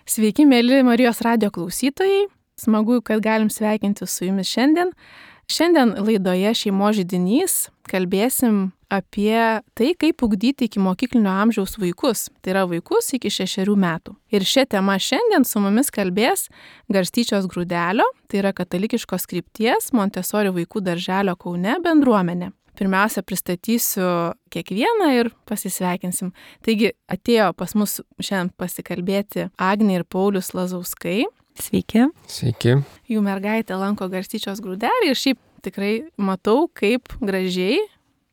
Sveiki, mėly Marijos radijo klausytojai. Smagu, kad galim sveikinti su jumis šiandien. Šiandien laidoje Šeimos židinys kalbėsim apie tai, kaip ugdyti iki mokyklinio amžiaus vaikus. Tai yra vaikus iki 6 metų. Ir šią temą šiandien su mumis kalbės Garstyčios Grūdelio, tai yra katalikiškos krypties Montessori vaikų darželio Kaune bendruomenė. Pirmiausia, pristatysiu kiekvieną ir pasisveikinsim. Taigi, atėjo pas mus šiandien pasikalbėti Agnė ir Paulius Lazauskai. Sveiki. Sveiki. Jų mergaitė lanko Garstyčios Grūdelį ir šiaip tikrai matau, kaip gražiai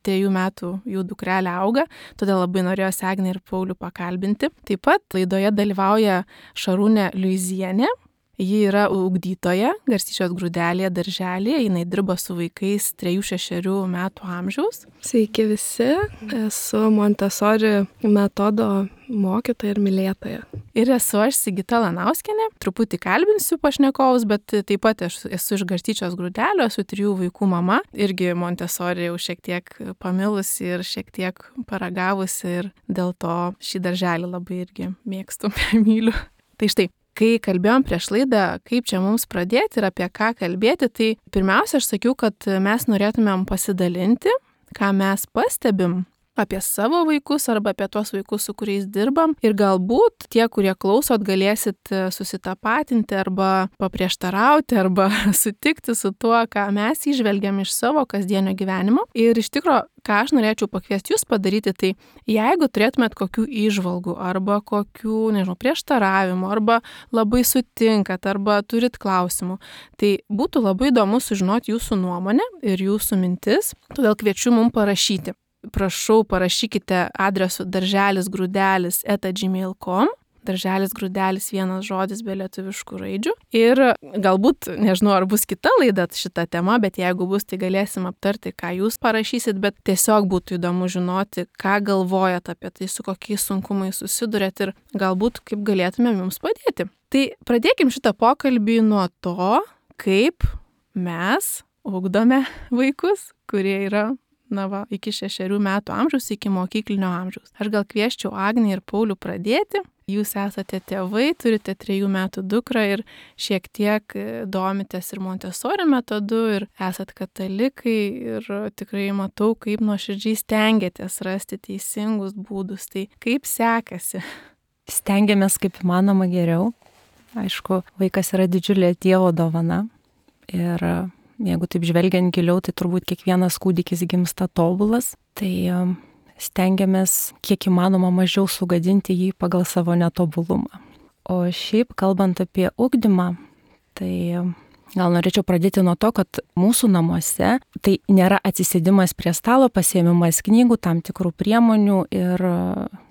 3 metų jų dukrelė auga, todėl labai norėjosi Agnė ir Paulių pakalbinti. Taip pat laidoje dalyvauja Šarūnė Liuizienė. Ji yra ugdytoja Garstyčios Grūdelėje darželėje, jinai dirba su vaikais 3-6 metų amžiaus. Sveiki visi, esu Montessori metodo mokytoja ir mylėtoja. Ir esu aš Sigita Lanauskienė, truputį kalbinsiu pašnekovus, bet taip pat esu iš Garstyčios Grūdelio, esu 3 vaikų mama, irgi Montessori jau šiek tiek pamilusi ir šiek tiek paragavusi ir dėl to šį darželį labai irgi mėgstu, myliu. Tai štai. Kai kalbėjom prieš laidą, kaip čia mums pradėti ir apie ką kalbėti, tai pirmiausia, aš sakiau, kad mes norėtumėm pasidalinti, ką mes pastebim apie savo vaikus arba apie tuos vaikus, su kuriais dirbam. Ir galbūt tie, kurie klausot, galėsit susitapatinti arba paprieštarauti arba sutikti su tuo, ką mes įžvelgiam iš savo kasdienio gyvenimo. Ir iš tikro, ką aš norėčiau pakviesti jūs padaryti, tai jeigu turėtumėt kokių įžvalgų arba kokių, prieštaravimų arba labai sutinkat arba turit klausimų, tai būtų labai įdomu sužinoti jūsų nuomonę ir jūsų mintis, todėl kviečiu mums parašyti. Prašau, parašykite adresu darželisgrūdelis@gmail.com, darželisgrūdelis vienas žodis be lietuviškų raidžių. Ir galbūt, nežinau, ar bus kita laida šita tema, bet jeigu bus, tai galėsim aptarti, ką jūs parašysit, bet tiesiog būtų įdomu žinoti, ką galvojat apie tai, su kokiais sunkumais susidurėt ir galbūt kaip galėtumėm jums padėti. Tai pradėkim šitą pokalbį nuo to, kaip mes ugdome vaikus, kurie yra iki 6 metų amžiaus, iki mokyklinio amžiaus. Aš gal kvieščiau Agnę ir Paulių pradėti. Jūs esate tėvai, turite 3 metų dukrą ir šiek tiek domitės ir Montessori metodu ir esat katalikai ir tikrai matau, kaip nuoširdžiai stengiatės rasti teisingus būdus. Tai kaip sekasi? Stengiamės kaip įmanoma geriau. Aišku, vaikas yra didžiulė Dievo dovana ir jeigu taip žvelgiant giliau, tai turbūt kiekvienas kūdikis gimsta tobulas, tai stengiamės kiek įmanoma mažiau sugadinti jį pagal savo netobulumą. O šiaip, kalbant apie ugdymą, tai gal norėčiau pradėti nuo to, kad mūsų namuose tai nėra atsisėdimas prie stalo, pasiėmimas knygų, tam tikrų priemonių ir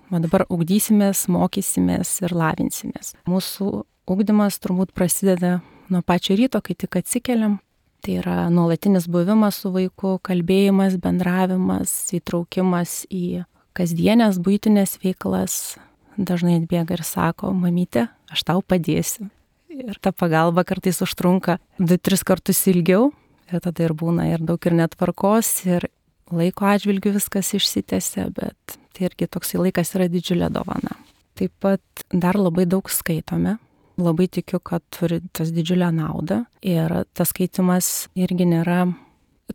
dabar ugdysimės, mokysimės ir lavinsimės. Mūsų ugdymas turbūt prasideda nuo pačio ryto, kai tik atsikeliam. Tai yra nuolatinis buvimas su vaiku, kalbėjimas, bendravimas, įtraukimas į kasdienės buitinės veiklas. Dažnai atbėga ir sako, mamytė, aš tau padėsiu. Ir ta pagalba kartais užtrunka 2-3 kartus ilgiau. Ir tada ir būna ir daug ir netvarkos, ir laiko atžvilgių viskas išsitęsia, bet tai irgi toksai laikas yra didžiulė dovana. Taip pat dar labai daug skaitome. Labai tikiu, kad turi tas didžiulę naudą ir tas skaitimas irgi nėra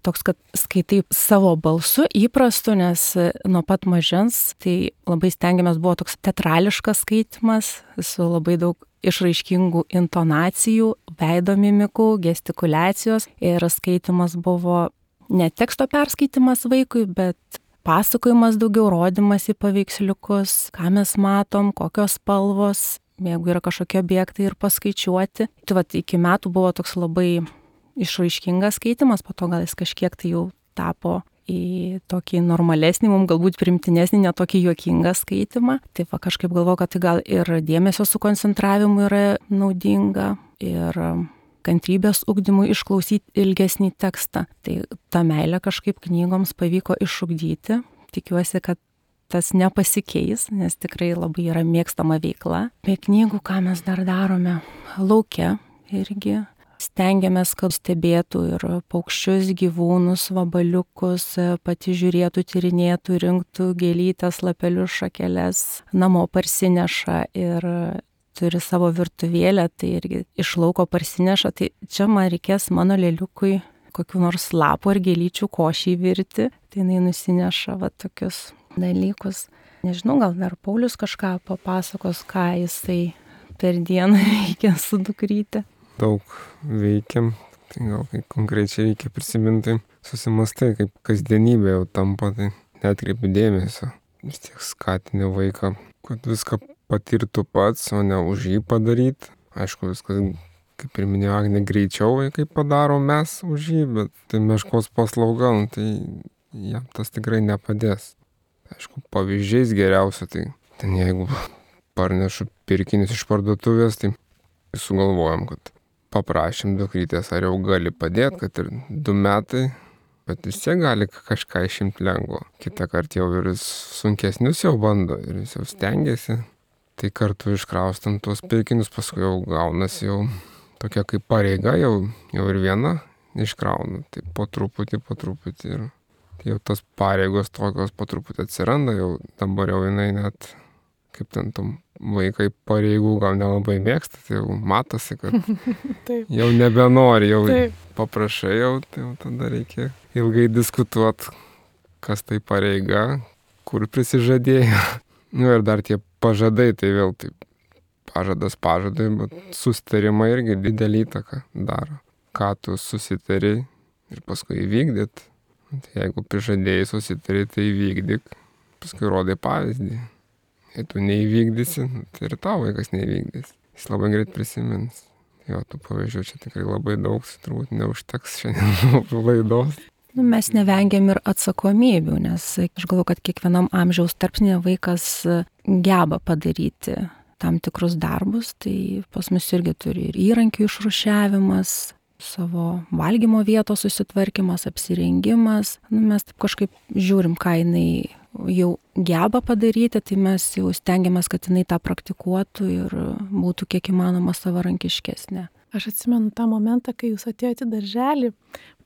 toks, kad skaitai savo balsu įprastu, nes nuo pat mažens tai labai stengiamės buvo toks teatrališkas skaitimas su labai daug išraiškingų intonacijų, veido mimikų, gestikuliacijos ir skaitimas buvo ne teksto perskaitimas vaikui, bet pasakojimas daugiau, rodymas į paveiksliukus, ką mes matom, kokios spalvos, jeigu yra kažkokie objektai ir paskaičiuoti. Tai iki metų buvo toks labai išraiškingas skaitimas, po to gal jis kažkiek tai jau tapo į tokį normalesnį, mums galbūt primtinesnį, netokį juokingą skaitimą. Tai kažkaip galvoju, kad tai gal ir dėmesio sukoncentravimu yra naudinga ir kantrybės ugdymui išklausyti ilgesnį tekstą. Tai tą meilę kažkaip knygoms pavyko išugdyti. Tikiuosi, kad tas nepasikeis, nes tikrai labai yra mėgstama veikla. Be knygų, ką mes dar darome? Lauke irgi stengiamės, kad stebėtų ir paukščius, gyvūnus, vabaliukus, pati žiūrėtų, tyrinėtų, rinktų gėlytes, lapelius, šakeles, namo parsineša ir turi savo virtuvėlę, tai irgi iš lauko parsineša, tai čia man reikės mano lėliukui kokių nors lapų ar gėlyčių košį virti, tai jinai nusineša va tokius dalykus. Nežinau, gal dar Paulius kažką papasakos, ką jisai per dieną veikia su dukryte. Daug veikiam, tai gal kai konkrečiai reikia prisiminti, susimastai, kaip kasdienybė jau tampa, tai netkreipi dėmesio. Vis tiek skatini vaiką, kad viską patirtų pats, o ne už jį padaryti. Aišku, viskas, kaip ir minėjo Agnė, greičiau vaikai padaro mes už jį, bet tai meškos paslauga, tai jam tas tikrai nepadės. Aišku, pavyzdžiais geriausia, tai ten jeigu parnešu pirkinius iš parduotuvės, tai sugalvojom, kad paprašėm dukrytės, ar jau gali padėti, kad ir 2 metai, bet vis tiek gali kažką išimti lengvo. Kitą kartą jau ir sunkesnius jau bando ir jis jau stengiasi. Tai kartu iškraustant tuos pirkinius, paskui jau gaunasi jau tokia kaip pareiga, jau ir viena iškrauna. Tai po truputį ir jau tas pareigos tokios po truputį atsiranda, jau dabar jau jinai net, kaip ten tom vaikai pareigų gal nelabai mėgsta, tai jau matosi, kad jau nebenori, jau paprašai, jau tada reikia ilgai diskutuoti, kas tai pareiga, kur prisižadėjo. Ir dar tie pažadai, tai vėl taip, pažadas pažadai, bet susitarimai irgi didelį įtaką daro. Ką tu susitari ir paskui įvykdyt. Tai jeigu prižadėjai susitari, tai įvykdyk, paskui rodai pavyzdį. Jei tu neįvykdysi, tai ir tavo vaikas neįvykdys. Jis labai greit prisimins. Jo, tų pavyzdžių čia tikrai labai daug, turbūt neužteks šiandien laidos. Mes nevengiam ir atsakomybių, nes aš galvoju, kad kiekvienam amžiaus tarpsnyje vaikas geba padaryti tam tikrus darbus, tai pas mus irgi turi ir įrankių išrūšiavimas, savo valgymo vietos susitvarkymas, apsirengimas. Mes taip kažkaip žiūrim, ką jinai jau geba padaryti, tai mes jau stengiamės, kad jinai tą praktikuotų ir būtų kiek įmanoma savarankiškesnė. Aš atsimenu tą momentą, kai jūs atėjote į darželį,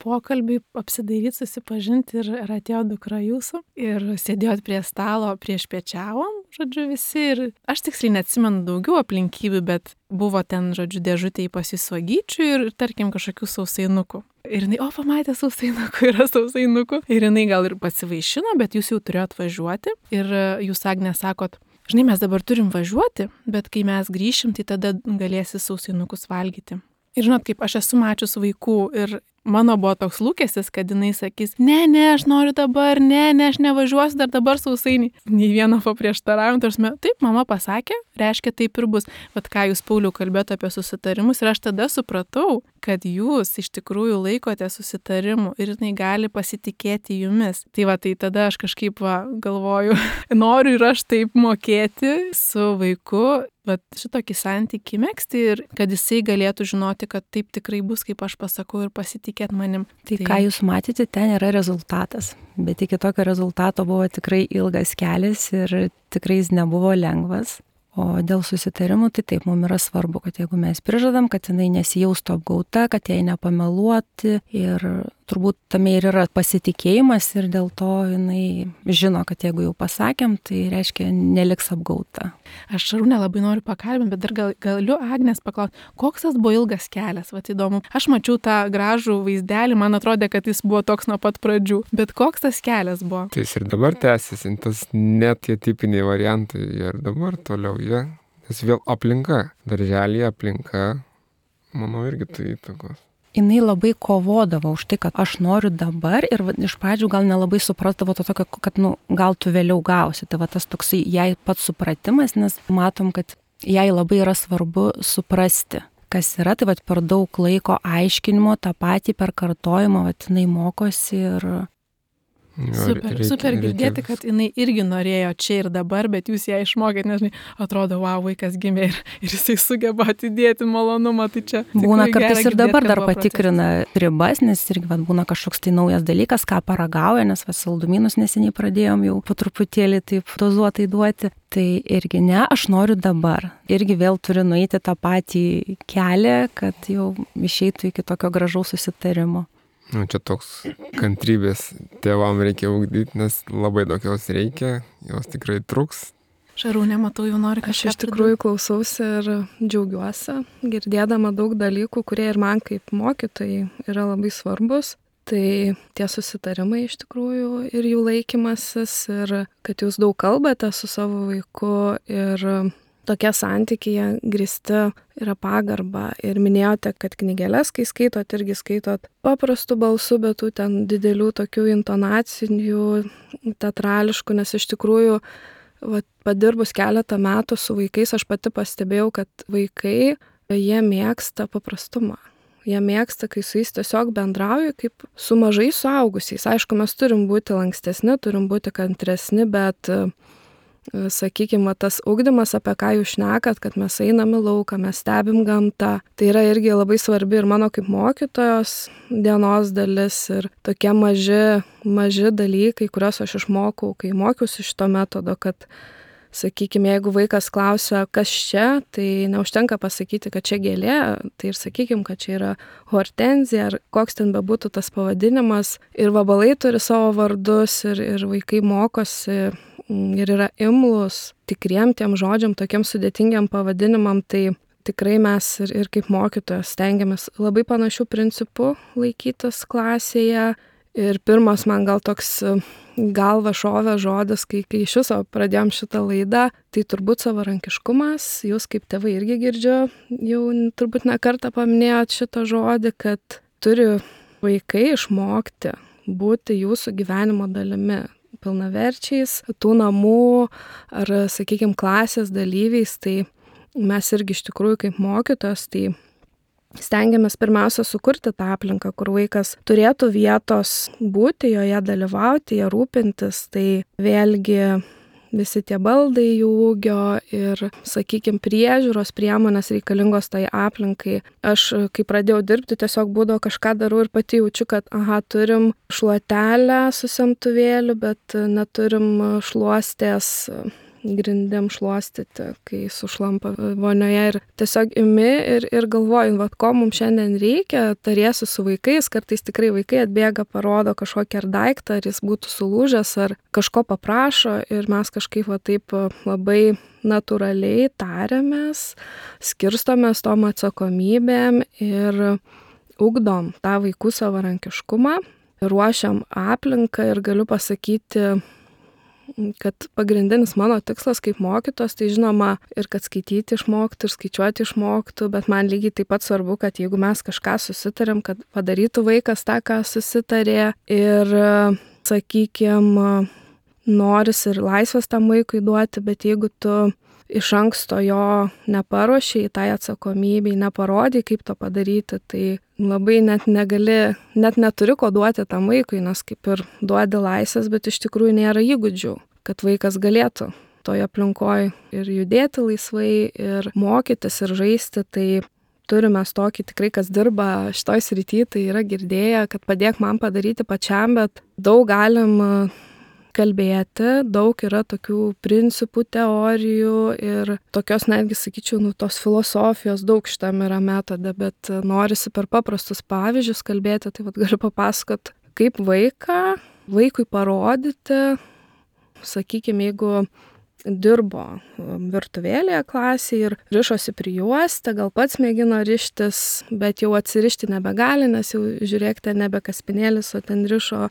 pokalbį, apsidairyti, susipažinti ir atėjo dukra jūsų ir sėdėjot prie stalo, prieš piečiavom, žodžiu, visi ir aš tiksliai neatsimenu daugiau aplinkybių, bet buvo ten, žodžiu, dėžutėje pasisuogyčių ir, tarkim, kažkokių sausainukų. Ir jinai, pamatė sausainukų, yra sausainukų. Ir jinai gal ir pasivaišino, bet jūs jau turėjot važiuoti ir jūs, Agnė, sakot, žinai, mes dabar turim važiuoti, bet kai mes grįšim, tai tada galėsi sausainukus valgyti. Ir žinot, kaip aš esu mačius vaikų ir mano buvo toks lūkestis, kad jinai sakys, ne, aš noriu dabar, ne, aš nevažiuosiu dar dabar sausainį. Nei vieno paprieštaravimo, taip, mama pasakė, reiškia taip ir bus. Bet ką jūs, Pauliau, kalbėjote apie susitarimus ir aš tada supratau, kad jūs iš tikrųjų laikote susitarimų ir jinai gali pasitikėti jumis. Tai tada aš kažkaip galvoju, noriu ir aš taip mokėti su vaiku, bet šitokį santykį megzti ir kad jisai galėtų žinoti, kad taip tikrai bus, kaip aš pasakau ir pasitikėti manim. Tai ką jūs matėte, ten yra rezultatas. Bet iki tokio rezultato buvo tikrai ilgas kelias ir tikrai jis nebuvo lengvas. O dėl susitarimų, tai taip, mums yra svarbu, kad jeigu mes prižadam, kad jinai nesijaustų apgauta, kad jai nepameluoti ir turbūt tame ir yra pasitikėjimas ir dėl to jinai žino, kad jeigu jau pasakėm, tai reiškia neliks apgauta. Aš Šarūnę labai noriu pakalbinti, bet dar galiu Agnės paklausti, koks tas buvo ilgas kelias, įdomu. Aš mačiau tą gražų vaizdelį, man atrodė, kad jis buvo toks nuo pat pradžių, bet koks tas kelias buvo? Tai jis ir dabar tęsiasi, tas net tie tipiniai variantai ir dabar toliau jie, nes vėl aplinka, darželėje aplinka, manau, irgi tai įtakos. Jinai labai kovodavo už tai, kad aš noriu dabar ir iš pradžių gal nelabai supratavo to tokio, kad gal tu vėliau gausi. Tai tas toksai jai pats supratimas, nes matom, kad jai labai yra svarbu suprasti, kas yra. Tai per daug laiko aiškinimo, tą patį per kartojimą, jinai mokosi ir... Super girdėti, kad jinai irgi norėjo čia ir dabar, bet jūs ją išmokėt, nes atrodo, vaikas gimė ir jisai sugeba atidėti malonumą, tai čia... Būna kartais ir dabar dar patikrina ribas, nes irgi būna kažkoks tai naujas dalykas, ką paragauja, nes saldumynus neseniai pradėjom jau po truputėlį taip dozuotai duoti. Tai irgi ne, aš noriu dabar. Irgi vėl turi nueiti tą patį kelią, kad jau išeitų iki tokio gražaus susitarimo. Čia toks kantrybės tėvam reikia ugdyti, nes labai daug jos reikia, jos tikrai truks. Šarūnė, matau, jau nori Aš kažką iš tikrųjų klausausi ir džiaugiuosi, girdėdama daug dalykų, kurie ir man kaip mokytojai yra labai svarbus. Tai tie susitarimai iš tikrųjų ir jų laikymasis, ir kad jūs daug kalbate su savo vaiku ir tokie santykiai grįsti yra pagarba. Ir minėjote, kad knygeles, kai skaitot, irgi skaitot paprastu balsu, bet tų ten didelių tokių intonacinių, teatrališkų, nes iš tikrųjų padirbus keletą metų su vaikais, aš pati pastebėjau, kad vaikai, jie mėgsta paprastumą. Jie mėgsta, kai su jais tiesiog bendrauju kaip su mažais suaugusiais. Aišku, mes turim būti lankstesni, turim būti kantresni, bet, sakykime, tas ugdymas, apie ką jūs šnekat, kad mes einam į lauką, mes stebim gamtą, tai yra irgi labai svarbi ir mano kaip mokytojos dienos dalis ir tokie maži dalykai, kuriuos aš išmokau, kai mokiausi šito metodo, kad, sakykime, jeigu vaikas klausia, kas čia, tai neužtenka pasakyti, kad čia gėlė, tai ir sakykime, kad čia yra hortenzija, ar koks ten bebūtų tas pavadinimas. Ir vabalai turi savo vardus ir vaikai mokosi ir yra imlus tikriem tiem žodžiam, tokiem sudėtingiam pavadinimam, tai tikrai mes ir kaip mokytojas stengiamės labai panašių principų laikytis klasėje. Ir pirmas man gal toks galva šovė žodis, kai iš viso pradėjom šitą laidą, tai turbūt savarankiškumas. Jūs kaip tėvai irgi girdžiu, jau turbūt ne kartą paminėjot šitą žodį, kad turi vaikai išmokti būti jūsų gyvenimo dalimi, pilnaverčiais, tų namų ar, sakykime, klasės dalyviais. Tai mes irgi iš tikrųjų kaip mokytos, tai stengiamės pirmiausia sukurti tą aplinką, kur vaikas turėtų vietos būti, joje dalyvauti, ją rūpintis. Tai vėlgi visi tie baldai jų ūgio ir, sakykime, priežiūros priemonės reikalingos tai aplinkai. Aš, kai pradėjau dirbti, tiesiog būdavo kažką darau ir pati jaučiu, kad, turim šluotelę su semtuvėliu, bet neturim šluostės grindim šluostyti, kai sušlampa vonioje. Ir tiesiog imi ir galvoju, ko mums šiandien reikia, tariesi su vaikais, kartais tikrai vaikai atbėga, parodo kažkokį ar daiktą, ar jis būtų sulūžęs, ar kažko paprašo ir mes kažkaip taip labai natūraliai tariamės, skirstomės tom atsakomybėm ir ugdom tą vaikų savarankiškumą, ruošiam aplinką ir galiu pasakyti, kad pagrindinis mano tikslas kaip mokytos, tai žinoma ir kad skaityti išmoktų, ir skaičiuoti išmoktų, bet man lygiai taip pat svarbu, kad jeigu mes kažką susitarėm, kad padarytų vaikas tą, ką susitarė ir, sakykime, noris ir laisvės tam vaikui duoti, bet jeigu tu iš anksto jo neparuošiai tai atsakomybei, neparodai, kaip to padaryti, tai labai net neturi ko duoti tam vaikui, nes kaip ir duodi laisvės, bet iš tikrųjų nėra įgūdžių, kad vaikas galėtų toje aplinkoje ir judėti laisvai, ir mokytis, ir žaisti. Tai turime tokį tikrai, kas dirba šitoj srity, tai yra girdėję, kad padėk man padaryti pačiam, bet daug galim kalbėti, daug yra tokių principų, teorijų ir tokios netgi, sakyčiau, tos filosofijos daug šitam yra metode, bet norisi per paprastus pavyzdžius kalbėti, tai galiu papasakot, kaip vaikui parodyti, sakykime, jeigu dirbo virtuvėlėje klasėje ir rišosi prijuostę, gal pats mėgino rištis, bet jau atsirišti nebegali, nes jau žiūrėkite, nebe kaspinėlis, o ten rišo,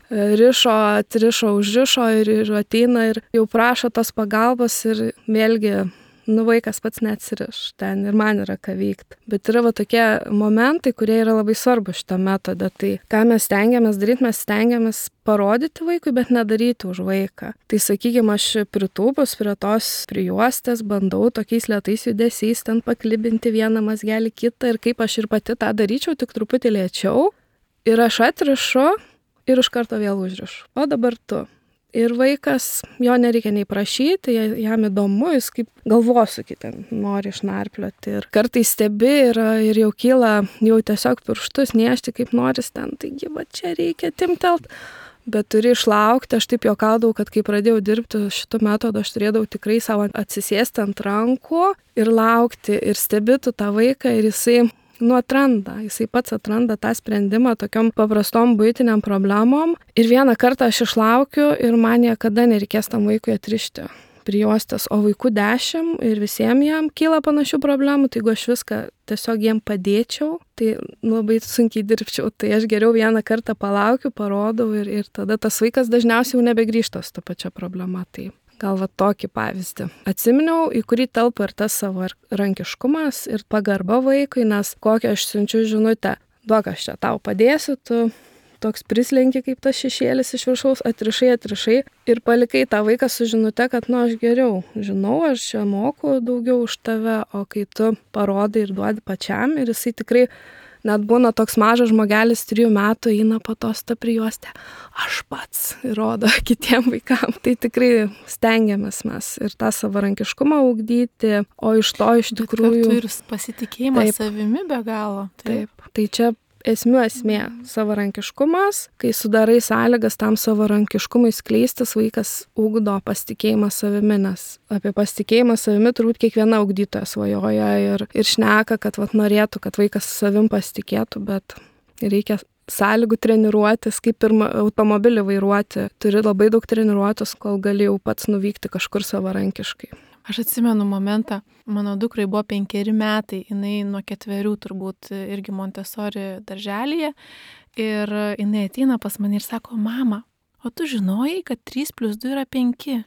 užrišo ir ateina ir jau prašo tos pagalbos ir vėlgi, vaikas pats neatsiriš ten ir man yra ką veikti. Bet yra tokie momentai, kurie yra labai svarbu šitą metodą. Tai ką mes stengiamės daryti, mes stengiamės parodyti vaikui, bet nedaryti už vaiką. Tai sakykime, aš pritūpus prie tos prijuostės bandau tokiais lėtais judesiais ten paklibinti vieną mazgelį kitą ir kaip aš ir pati tą daryčiau, tik truputį lėčiau. Ir aš atrišu ir iš karto vėl užrišu. O dabar tu. Ir vaikas, jo nereikia nei prašyti, jam įdomu, jis kaip galvosūkį ten nori išnarplioti. Ir kartais stebi ir jau kyla jau tiesiog pirštus niešti, kaip noris ten, taigi va čia reikia timtelt. Bet turi išlaukti, aš taip juokaudavau, kad kai pradėjau dirbti šitų metodų, aš turėdavau tikrai savo atsisėsti ant rankų ir laukti ir stebėti tą vaiką ir jisai pats atranda tą sprendimą tokiom paprastom buitiniam problemom. Ir vieną kartą aš išlaukiu ir man niekada nereikės tam vaikui atrišti prijuostės, o vaikų 10 ir visiems jam kyla panašių problemų, tai jeigu aš viską tiesiog jiem padėčiau, tai labai sunkiai dirbčiau, tai aš geriau vieną kartą palaukiu, parodau ir tada tas vaikas dažniausiai jau nebegrįžta su ta pačia problema. Tai gal va tokį pavyzdį. Atsiminiau, į kurį telpa ir tas savarankiškumas ir pagarba vaikui, nes kokią aš siunčiu žinutę, duok aš čia tau padėsiu, tu toks prislenki kaip tas šešėlis iš viršaus, atrišai ir palikai tą vaiką su žinute, kad aš geriau žinau, aš čia moku daugiau už tave, o kai tu parodai ir duodi pačiam ir jisai tikrai net būna toks mažas žmogelis 3 metų, eina po to tą prijuostę, aš pats ir rodo kitiem vaikam. Tai tikrai stengiamės mes ir tą savarankiškumą ugdyti, o iš to iš tikrųjų... Ir pasitikėjimas savimi be galo. Taip. Tai čia esmė savarankiškumas, kai sudarai sąlygas tam savarankiškumui skleistis, vaikas ugdo pasitikėjimą savimi, nes apie pasitikėjimą savimi turbūt kiekviena ugdytoja svajoja ir šneka, kad norėtų, kad vaikas savim pasitikėtų, bet reikia sąlygų treniruotis, kaip ir automobilį vairuoti. Turi labai daug treniruotis, kol gali jau pats nuvykti kažkur savarankiškai. Aš atsimenu momentą, mano dukrai buvo 5 metai, jinai nuo 4 turbūt irgi Montessori darželyje ir jinai ateina pas mane ir sako, mama, o tu žinojai, kad 3 + 2 yra 5?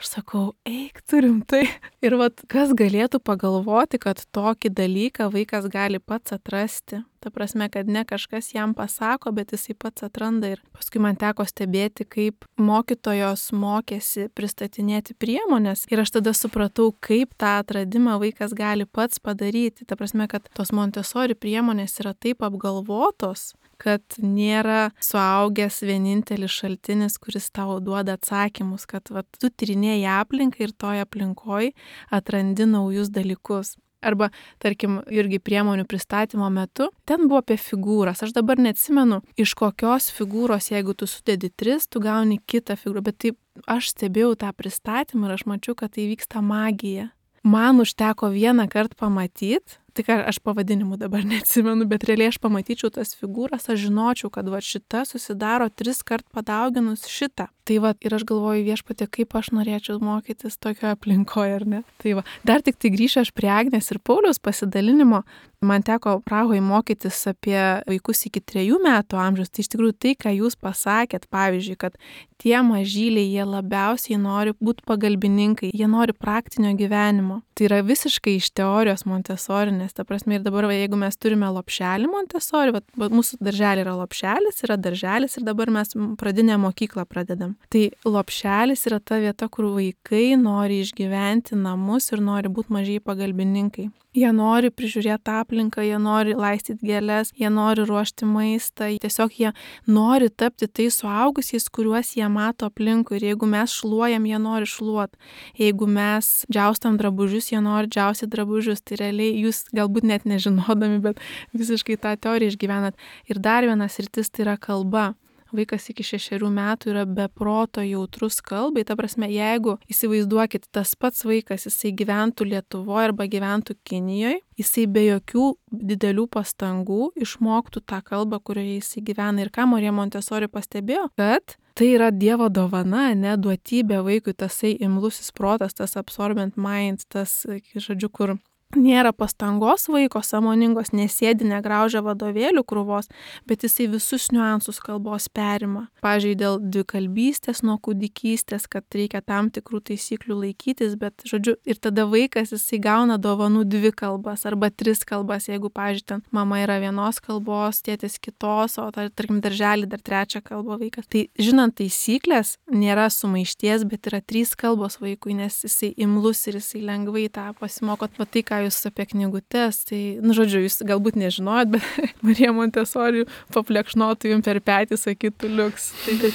Aš sakau, eik, turim tai. Ir kas galėtų pagalvoti, kad tokį dalyką vaikas gali pats atrasti. Ta prasme, kad ne kažkas jam pasako, bet jisai pats atranda. Ir paskui man teko stebėti, kaip mokytojos mokėsi pristatinėti priemonės. Ir aš tada supratau, kaip tą atradimą vaikas gali pats padaryti. Ta prasme, kad tos Montessori priemonės yra taip apgalvotos, kad nėra suaugęs vienintelis šaltinis, kuris tau duoda atsakymus, kad tu tyrinėji aplinką ir toje aplinkoje atrandi naujus dalykus. Arba, tarkim, irgi priemonių pristatymo metu, ten buvo apie figūras. Aš dabar neatsimenu, iš kokios figūros, jeigu tu sudedi 3, tu gauni kitą figūrą. Bet taip, aš stebėjau tą pristatymą ir aš mačiau, kad tai vyksta magija. Man užteko vieną kartą pamatyti, tik aš pavadinimų dabar neatsimenu, bet realiai aš pamatyčiau tas figūras, aš žinočiau, kad šita susidaro 3 kart padauginus šitą. Tai ir aš galvoju, Viešpatie, kaip aš norėčiau mokytis tokioje aplinkoje, ar ne? Tai dar tik tai grįšiu aš prie Agnės ir Pauliaus pasidalinimo. Man teko Prahoje mokytis apie vaikus iki 3 metų amžiaus. Tai iš tikrųjų tai, ką jūs pasakėt, pavyzdžiui, kad tie mažyliai, jie labiausiai nori būti pagalbininkai, jie nori praktinio gyvenimo. Tai yra visiškai iš teorijos Montessori, nes ta prasme ir dabar, jeigu mes turime lopšelį Montessori, mūsų darželį yra lopšelis, yra darželis ir dabar mes pradinę mokyklą pradedam. Tai lopšelis yra ta vieta, kur vaikai nori išgyventi namus ir nori būti mažiai pagalbininkai. Jie nori prižiūrėti aplinką, jie nori laistyti gėles, jie nori ruošti maistą, tiesiog jie nori tapti tais suaugusiais, kuriuos jie mato aplinkui. Ir jeigu mes šluojam, jie nori šluoti. Jeigu mes džiaustam drabužius, jie nori džiaustyti drabužius. Tai realiai jūs galbūt net nežinodami, bet visiškai tą teoriją išgyvenat. Ir dar vienas sritis tai yra kalba. Vaikas iki 6 metų yra be proto jautrus kalbai. Ta prasme, jeigu įsivaizduokit, tas pats vaikas, jisai gyventų Lietuvoje arba gyventų Kinijoje, jisai be jokių didelių pastangų išmoktų tą kalbą, kurioje jisai gyvena. Ir ką Marija Montessori pastebėjo, kad tai yra Dievo dovana, ne duotybė vaikui, tasai imlusis protas, tas absorbent mind, tas, žodžiu, kur nėra pastangos vaiko sąmoningos, nesėdi, negraužia vadovėlių krūvos, bet jisai visus niuansus kalbos perima. Pavyzdžiui, dėl dvikalbystės nuo kūdikystės, kad reikia tam tikrų taisyklių laikytis, bet, žodžiu, ir tada vaikas jisai gauna dovanų 2 kalbas arba 3 kalbas, jeigu, pavyzdžiui, ten mama yra vienos kalbos, tėtis kitos, o tarkim darželį dar 3 kalbą vaikas. Tai žinant taisyklės, nėra sumaišties, bet yra 3 kalbos vaikui, nes jisai imlus ir jisai lengvai tą pasimokot. Va tai, ką jūs apie knygutes, tai, žodžiu, jūs galbūt nežinojot, bet Marija Montessori paplekšnotų jums per petį, sakytų liuks.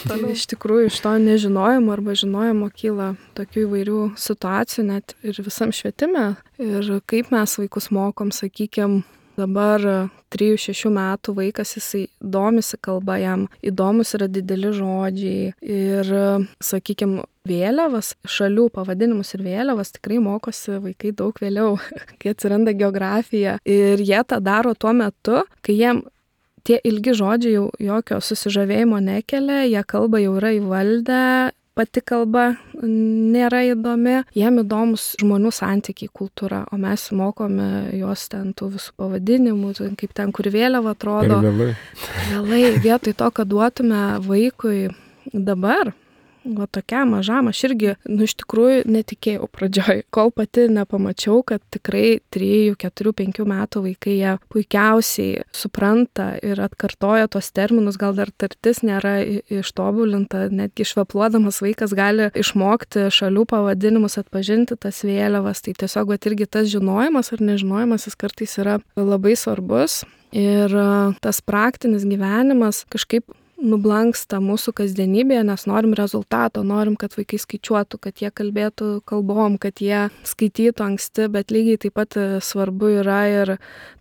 Tai iš tikrųjų iš to nežinojimo arba žinojimo kyla tokių įvairių situacijų, net ir visam švietime. Ir kaip mes vaikus mokom, sakykime, dabar 3-6 metų vaikas, jisai domisi kalba, jam įdomus yra dideli žodžiai ir, sakykime, vėliavas, šalių pavadinimus ir vėliavas tikrai mokosi vaikai daug vėliau, kai atsiranda geografija. Ir jie tą daro tuo metu, kai jiem tie ilgi žodžiai jau jokio susižavėjimo nekelia, jie kalbą jau yra įvaldę pati kalba nėra įdomi, jiem įdomus žmonių santykiai, kultūra, o mes mokome juos ten tų visų pavadinimų, kaip ten, kur vėliava atrodo. Vėlai, vietoj to, kad duotume vaikui dabar, va tokiam mažam, aš irgi, iš tikrųjų netikėjau pradžioj, kol pati nepamačiau, kad tikrai 3, 4, 5 metų vaikai jie puikiausiai supranta ir atkartoja tos terminus, gal dar tartis nėra ištobulinta, netgi švepluodamas vaikas gali išmokti šalių pavadinimus, atpažinti tas vėliavas, tai tiesiog va irgi tas žinojimas ar nežinojimas jis kartais yra labai svarbus ir tas praktinis gyvenimas kažkaip nublanksta mūsų kasdienybėje, nes norim rezultato, norim, kad vaikai skaičiuotų, kad jie kalbėtų kalbom, kad jie skaitytų anksti, bet lygiai taip pat svarbu yra ir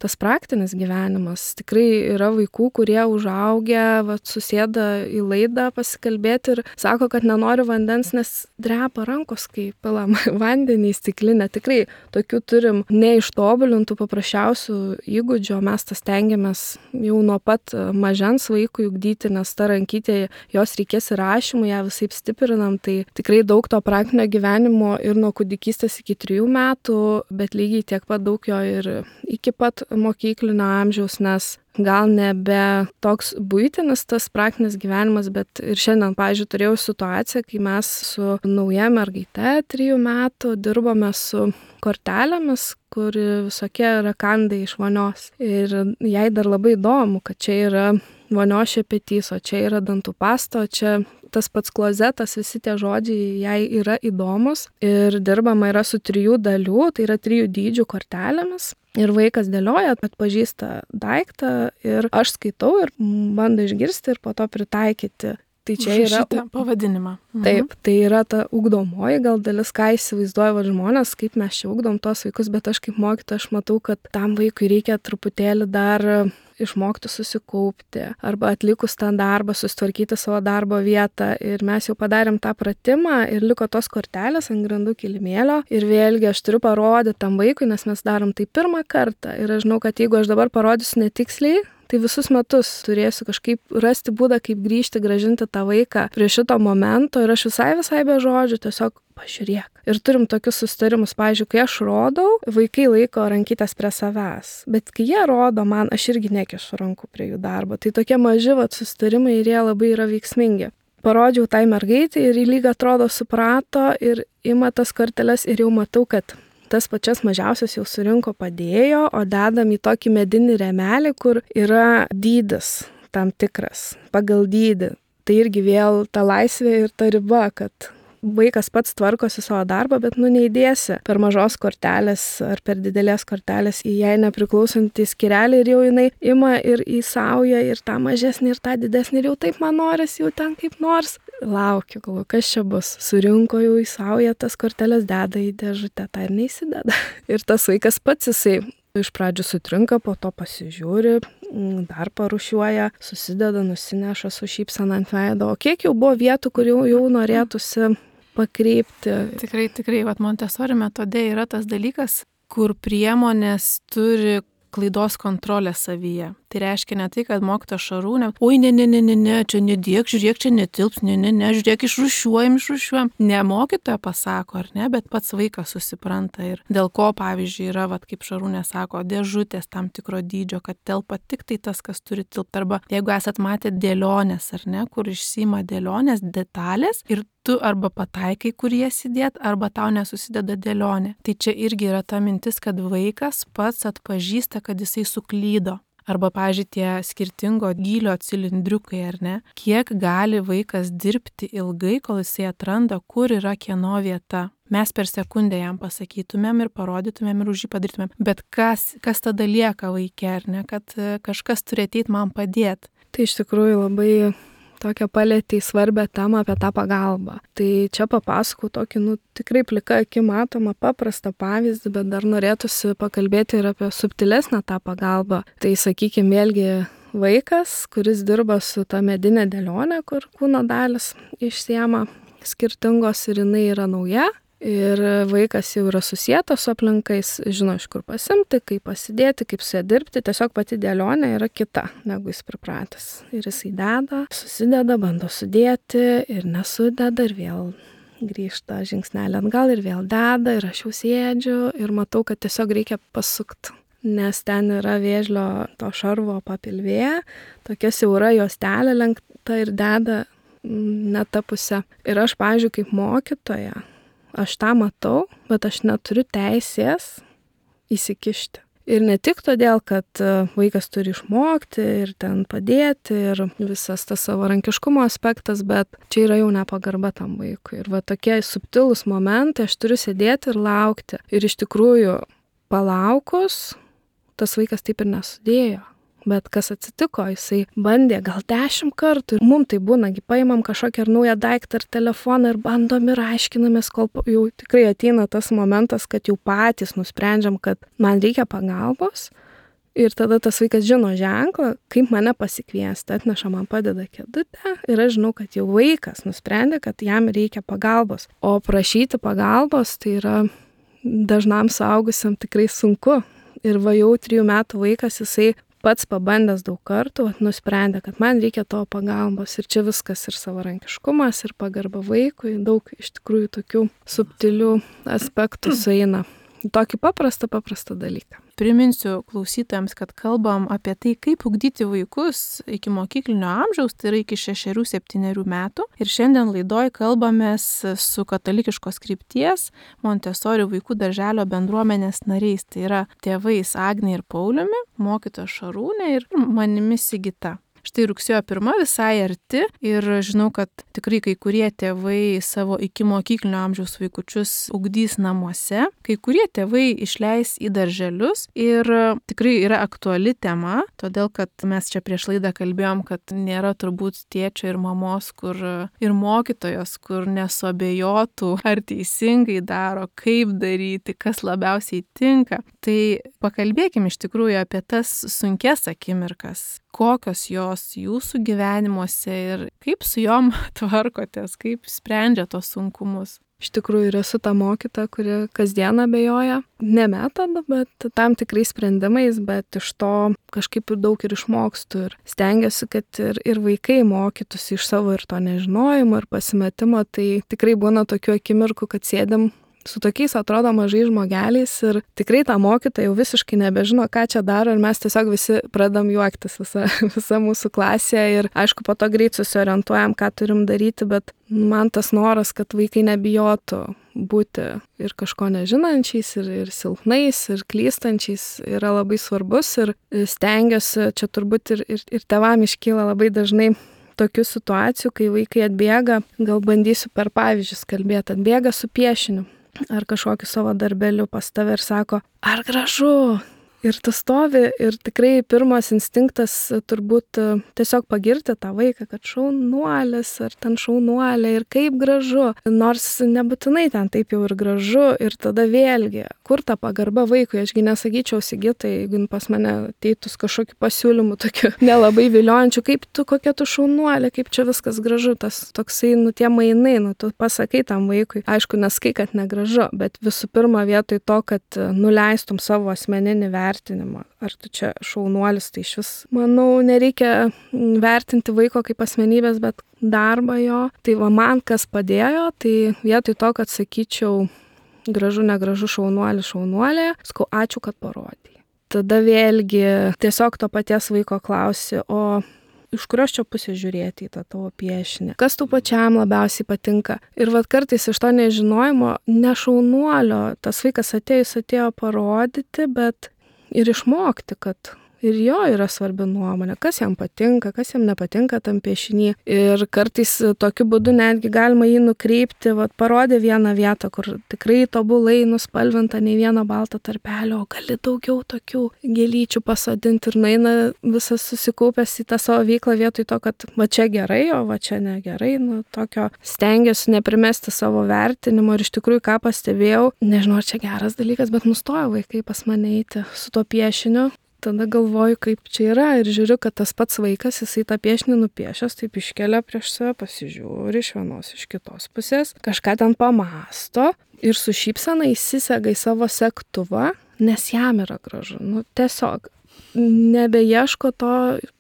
tas praktinis gyvenimas. Tikrai yra vaikų, kurie užaugę, susėda į laidą pasikalbėti ir sako, kad nenori vandens, nes drepa rankos, kai pilam vandenį į stiklinę. Tikrai tokių turim neištobulintų paprasčiausių įgūdžių, mes tas stengiamės jau nuo pat mažens vaikų ugdyti, nes ta rankytė, jos reikės įrašymų, ją visai stiprinam, tai tikrai daug to praktinio gyvenimo ir nuo kūdikystės iki 3 metų, bet lygiai tiek pat daug jo ir iki pat mokyklinio amžiaus, nes gal nebe toks buitinis tas praktinis gyvenimas, bet ir šiandien, pavyzdžiui, turėjau situaciją, kai mes su nauja mergaite 3 metų dirbome su kortelėmis, kur visokie rakandai iš vonios. Ir jai dar labai įdomu, kad čia yra vonios šepetys, o čia yra dantų pasta, o čia tas pats klozetas, visi tie žodžiai jai yra įdomus. Ir dirbama yra su 3 dalių, tai yra 3 dydžių kortelėmis. Ir vaikas dėlioja, atpažįsta daiktą ir aš skaitau ir bando išgirsti ir po to pritaikyti. Tai čia yra pavadinimą. Taip, tai yra ta ugdomoji gal dalis, ką įsivaizduoja žmonės, kaip mes čia ugdom tos vaikus, bet aš kaip mokytoja, aš matau, kad tam vaikui reikia truputėlį dar išmokti susikaupti arba atlikus tą darbą, susitvarkyti savo darbo vietą. Ir mes jau padarėm tą pratimą ir liko tos kortelės ant grindų kilimėlio. Ir vėlgi aš turiu parodyti tam vaikui, nes mes darom tai pirmą kartą. Ir aš žinau, kad jeigu aš dabar parodysiu netiksliai, tai visus metus turėsiu kažkaip rasti būdą, kaip grįžti, grąžinti tą vaiką prie šito momento ir aš visai be žodžių tiesiog pažiūrėk. Ir turim tokius susitarimus, pavyzdžiui, kai aš rodau, vaikai laiko rankytės prie savęs, bet kai jie rodo man, aš irgi nekišu rankų prie jų darbo. Tai tokie maži susitarimai ir jie labai yra veiksmingi. Parodžiau tai mergaitai ir į lygą atrodo suprato ir ima tas korteles ir jau matau, kad tas pačias mažiausias jau surinko padėjo, o dedam į tokį medinį rėmelį, kur yra dydis tam tikras, pagal dydį. Tai irgi vėl ta laisvė ir ta riba, kad vaikas pats tvarkosi savo darbą, bet neįdėsi per mažos kortelės ar per didelės kortelės į jai nepriklausantį skyrelį ir jau jinai ima ir įsauja ir tą mažesnį ir tą didesnį ir jau taip man noris, jau ten kaip nors. Laukiu, galvoju, kas čia bus. Surinko jau įsauja tas kortelės, deda į dėžutę, tą ir neįsideda. Ir tas vaikas pats jisai iš pradžių sutrinka, po to pasižiūri, dar parušiuoja, susideda, nusineša su šypsena ant veido. O kiek jau buvo vietų, kur jau norėtųsi pakreipti. Tikrai, Montessori metode yra tas dalykas, kur priemonės turi klaidos kontrolę savyje. Tai reiškia ne tai, kad mokytoja Šarūnė, oi, ne, čia nedėk, žiūrėk, čia netilps, ne, žiūrėk, išrūšiuojam. Ne mokytoja pasako, ar ne, bet pats vaikas susipranta ir dėl ko, pavyzdžiui, yra, kaip Šarūnė sako, dėžutės tam tikro dydžio, kad telpa tik tai tas, kas turi tilpti. Arba jeigu esat matę dėlionės, ar ne, kur išsima dėlionės detalės ir tu arba pataikai, kur jas įdėt, arba tau nesusideda dėlionė. Tai čia irgi yra ta mintis, kad vaikas pats atpažįsta, kad jisai suklydo. Arba, pavyzdžiui, tie skirtingo gylio cilindriukai, ar ne? Kiek gali vaikas dirbti ilgai, kol jisai atranda, kur yra kieno vieta. Mes per sekundę jam pasakytumėm ir parodytumėm ir už jį padarytumėm. Bet kas tada lieka vaike, ar ne? Kad kažkas turi ateiti man padėti. Tai iš tikrųjų labai tokią palėtį svarbę temą apie tą pagalbą. Tai čia papasakau tokį, tikrai plika akim matomą paprastą pavyzdį, bet dar norėtųsi pakalbėti ir apie subtilesnę tą pagalbą. Tai sakykime, vėlgi vaikas, kuris dirba su ta medinė dėlionė, kur kūno dalis išsiema skirtingos ir jinai yra nauja. ir vaikas jau yra susietas su aplinkais, žino, iš kur pasimti, kaip pasidėti, kaip su ja dirbti, tiesiog pati dėlionė yra kita, negu jis pripratęs. Ir jisai deda, susideda, bando sudėti ir nesudeda ir vėl grįžta žingsnelį atgal ir vėl deda ir aš jau sėdžiu ir matau, kad tiesiog reikia pasukti. Nes ten yra vėžlio to šarvo papilvė, tokia siaura juostelė lenkta ir deda ne ta pusė. Ir aš, pavyzdžiui, kaip mokytoja, aš tą matau, bet aš neturiu teisės įsikišti. Ir ne tik todėl, kad vaikas turi išmokti ir ten padėti ir visas tas savarankiškumo aspektas, bet čia yra jau nepagarba tam vaikui. Ir va tokie subtilūs momentai, aš turiu sėdėti ir laukti. Ir iš tikrųjų palaukus, tas vaikas taip ir nesudėjo. Bet kas atsitiko, jisai bandė gal 10 kartų ir mums tai būna, paimam kažkokią ar naują daiktą ar telefoną ir bandom ir aiškinamės, kol jau tikrai ateina tas momentas, kad jau patys nusprendžiam, kad man reikia pagalbos. Ir tada tas vaikas žino ženklą, kaip mane pasikviesti, atneša man padeda kėdutę ir aš žinau, kad jau vaikas nusprendė, kad jam reikia pagalbos. O prašyti pagalbos tai yra dažnam suaugusiam tikrai sunku. Ir va jau 3 metų vaikas, jisai pats pabandęs daug kartų, nusprendė, kad man reikia to pagalbos. Ir čia viskas ir savarankiškumas, ir pagarba vaikui, daug iš tikrųjų tokių subtilių aspektų sueina. Tokį paprastą dalyką. Priminsiu klausytojams, kad kalbam apie tai, kaip ugdyti vaikus iki mokyklinio amžiaus, tai yra iki 6-7 metų. Ir šiandien laidoj kalbamės su katalikiškos krypties Montessori vaikų darželio bendruomenės nariais. Tai yra tėvais Agnė ir Pauliumi, mokytoja Šarūnė ir manimi Sigita. Štai rugsėjo 1 visai arti ir žinau, kad tikrai kai kurie tėvai savo iki mokyklinio amžiaus vaikučius ugdys namuose, kai kurie tėvai išleis į darželius ir tikrai yra aktuali tema, todėl kad mes čia prieš laidą kalbėjom, kad nėra turbūt tėčio ir mamos, kur ir mokytojos, kur nesuabejotų, ar teisingai daro, kaip daryti, kas labiausiai tinka. Tai pakalbėkim iš tikrųjų apie tas sunkias akimirkas. Kokios jos jūsų gyvenimuose ir kaip su jom tvarkotės, kaip sprendžia tos sunkumus? Iš tikrųjų ir esu ta mokyta, kuri kasdieną abejoja, ne metodu, bet tam tikrais sprendimais, bet iš to kažkaip ir daug ir išmokstu ir stengiuosi, kad ir vaikai mokytųsi iš savo ir to nežinojimo ir pasimetimo, tai tikrai būna tokių akimirkų, kad sėdim su tokiais atrodo mažai žmogeliais ir tikrai ta mokytoja jau visiškai nebežino, ką čia daro ir mes tiesiog visi pradam juoktis, visa mūsų klasė ir aišku, po to greit susiorientuojam, ką turim daryti, bet man tas noras, kad vaikai nebijotų būti ir kažko nežinančiais, ir silpnais, ir klystančiais yra labai svarbus ir stengiuosi, čia turbūt ir tėvam iškyla labai dažnai tokių situacijų, kai vaikai atbėga, gal bandysiu per pavyzdžius kalbėti, atbėga su piešiniu ar kažkokiu savo darbeliu pas tave ir sako, ar gražu? Ir tu stovi ir tikrai pirmas instinktas turbūt tiesiog pagirti tą vaiką, kad šaunuolis ar ten šaunuolė ir kaip gražu. Nors nebūtinai ten taip jau ir gražu ir tada vėlgi, kur ta pagarba vaikui, ašgi nesakyčiau Sigitai, jeigu pas mane ateitus kažkokiu pasiūlymu tokiu nelabai viliojančiu, kaip tu, kokia tu šaunuolė, kaip čia viskas gražu, tas toksai, tie mainai, tu pasakai tam vaikui, aišku, neskai, kad negražu, bet visų pirma vietoj to, kad nuleistum savo asmeninį vertinimą. Ar tu čia šaunuolis, tai iš vis, manau, nereikia vertinti vaiko kaip asmenybės, bet darbą jo. Tai va man kas padėjo, tai vietoj to, kad sakyčiau gražu, negražu, šaunuolė, sakau, ačiū, kad parodai. Tada vėlgi tiesiog to paties vaiko klausi, o iš kurios čia pusės žiūrėti į tą tavo piešinį? Kas tau pačiam labiausiai patinka? Ir vat kartais iš to nežinojimo, ne šaunuolio, tas vaikas atėjo parodyti, bet ir išmokti, kad ir jo yra svarbi nuomonė, kas jam patinka, kas jam nepatinka tam piešinį. Ir kartais tokiu būdu netgi galima jį nukreipti, parodė vieną vietą, kur tikrai tobulai nuspalvinta, nei vieno balto tarpelio, o gali daugiau tokių gėlyčių pasodinti ir nueina visas susikaupęs į tą savo veiklą vietoj to, kad va čia gerai, o va čia negerai. Tokio stengiuosi neprimesti savo vertinimo ir iš tikrųjų ką pastebėjau, nežinau, ar čia geras dalykas, bet nustojo vaikai pas mane eiti su tuo piešiniu. Tada galvoju, kaip čia yra ir žiūriu, kad tas pats vaikas, jisai tą piešinį nupiešęs, taip iškelia prieš save, pasižiūri iš vienos, iš kitos pusės, kažką ten pamasto ir su šypsena įsisega į savo segtuvą, nes jam yra gražu. Tiesiog nebeieško to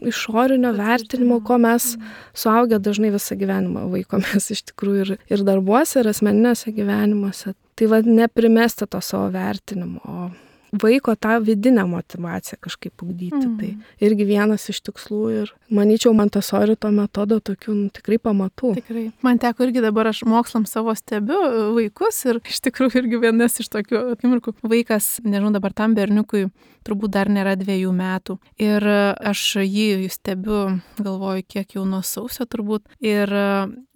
išorinio vertinimo, ko mes suaugę dažnai visą gyvenimą vaikomės iš tikrųjų ir darbuose, ir asmeniniuose gyvenimuose. Tai neprimesti to savo vertinimo, o vaiko tą vidinę motivaciją kažkaip ugdyti. Tai irgi vienas iš tikslų ir manyčiau, Montessori to metodo tokių tikrai pamatų. Tikrai. Man teko irgi dabar aš mokslam savo stebiu vaikus ir iš tikrųjų irgi vienas iš tokių akimirkų. Vaikas, nežinau, dabar tam berniukui turbūt dar nėra 2 metų. Ir aš jį stebiu, galvoju, kiek jau nuo sausio turbūt. Ir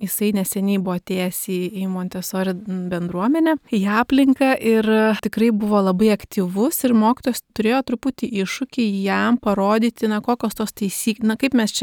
jisai neseniai buvo atėjęs į Montessori bendruomenę, į aplinką ir tikrai buvo labai aktyvus ir mokytojas turėjo truputį iššūkį jam parodyti, kokios tos taisyklės, kaip mes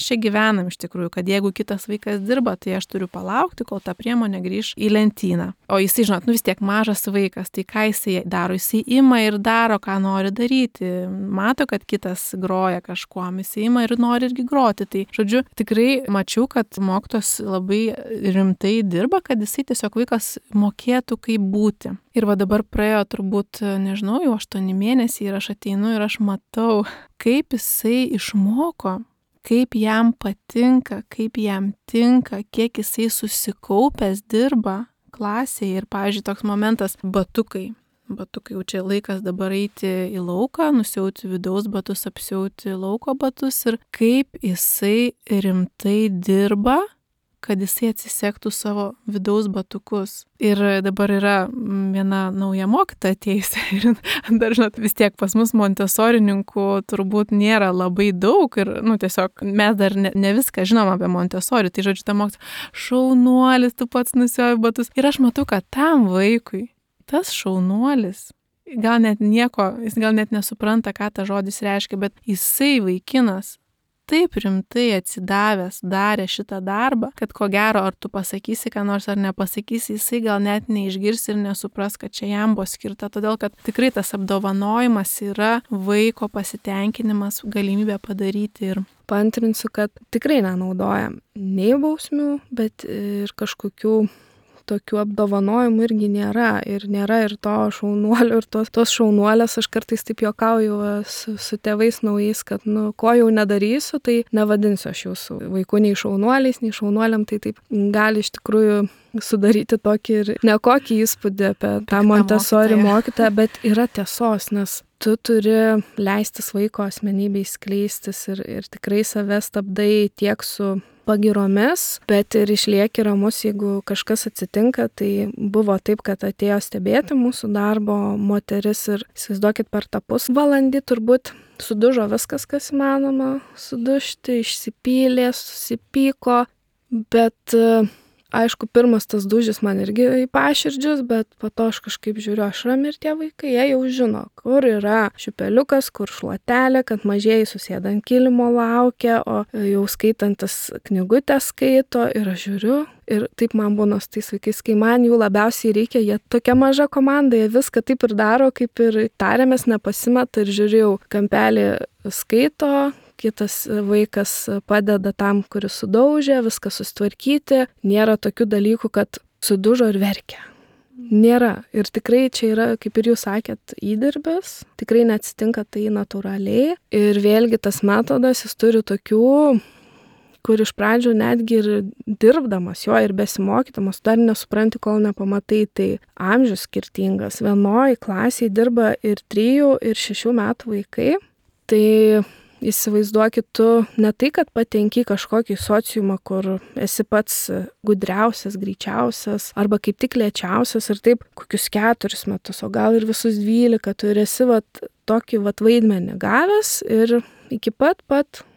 čia gyvenam iš tikrųjų, kad jeigu kitas vaikas dirba, tai aš turiu palaukti, kol ta priemonė grįž į lentyną. O jisai, žinot, vis tiek mažas vaikas, tai ką jisai daro? Jisai ima ir daro, ką nori daryti. Mato, kad kitas groja kažkuom, jisai ima ir nori irgi groti. Tai, žodžiu, tikrai mačiau, kad mokytojas labai rimtai dirba, kad jisai tiesiog vaikas mokėtų kaip būti. Ir va dabar praėjo turbūt, nežinau, jau 8 mėnesiai ir aš ateinu ir aš matau, kaip jisai išmoko, kaip jam patinka, kaip jam tinka, kiek jisai susikaupęs dirba klasėje. Ir, pavyzdžiui, toks momentas - batukai jau čia laikas dabar eiti į lauką, nusiauti vidaus batus, apsiauti lauko batus ir kaip jisai rimtai dirba, kad jisai atsisektų savo vidaus batukus. Ir dabar yra viena nauja mokytoja atėjusi ir dar, žinot, vis tiek pas mus Montesorininkų turbūt nėra labai daug ir, tiesiog mes dar ne viską žinom apie Montessori, tai žodžiu, ta mokytoja, šaunuolis, tu pats nusiauji batus. Ir aš matau, kad tam vaikui tas šaunuolis, gal net nieko, jis gal net nesupranta, ką ta žodis reiškia, bet jisai vaikinas taip rimtai atsidavęs darė šitą darbą, kad ko gero, ar tu pasakysi, ką nors ar nepasakysi, jisai gal net neišgirs ir nesupras, kad čia jam buvo skirta, todėl kad tikrai tas apdovanojimas yra vaiko pasitenkinimas, galimybė padaryti. Ir paantrinsiu, kad tikrai nenaudojam nei bausmių, bet ir kažkokių tokių apdovanojimų irgi nėra. Ir nėra ir to šaunuolio, ir tos šaunuolės, aš kartais taip juokauju su tėvais naujais, kad, ko jau nedarysiu, tai nevadinsiu aš jūsų vaikų nei šaunuoliais, nei šaunuoliam, tai taip gali iš tikrųjų sudaryti tokį ir nekokį įspūdį apie tą Montessori mokytoją, bet yra tiesos, nes tu turi leistis vaiko asmenybei skleistis ir tikrai save stabdai tiek su pagiromis, bet ir išlieki ramus, jeigu kažkas atsitinka. Tai buvo taip, kad atėjo stebėti mūsų darbo moteris ir įsivaizduokit, per tą pusvalandį turbūt sudužo viskas, kas įmanoma sudužti, išsipylė, susipyko, bet aišku, pirmas tas dūžis man irgi į paširdžius, bet po to aš kažkaip žiūriu, aš rami ir tie vaikai, jie jau žino, kur yra šiupeliukas, kur šluotelė, kad mažieji susėda ant kilimo laukia, o jau skaitantis knygutę skaito ir aš žiūriu. Ir taip man būna su tais vaikais, kai man jų labiausiai reikia, jie tokia maža komanda, jie viską taip ir daro, kaip ir tariamės, nepasimeta ir žiūrėjau, kampelį skaito, kitas vaikas padeda tam, kuris sudaužė, viską sustvarkyti. Nėra tokių dalykų, kad sudužo ir verkia. Nėra. Ir tikrai čia yra, kaip ir jūs sakėt, įdirbis. Tikrai neatsitinka tai natūraliai. Ir vėlgi tas metodas, jis turi tokių, kur iš pradžių netgi ir dirbdamas jo ir besimokydamas, dar nesupranti, kol nepamatai, tai amžius skirtingas. Vienoj klasėje dirba ir 3, ir 6 metų vaikai. Tai įsivaizduokit, tu ne tai, kad patenki kažkokį sociumą, kur esi pats gudriausias, greičiausias, arba kaip tik lėčiausias ir taip kokius 4 metus, o gal ir visus 12, tu ir esi tokį vaidmenį gavęs ir iki pat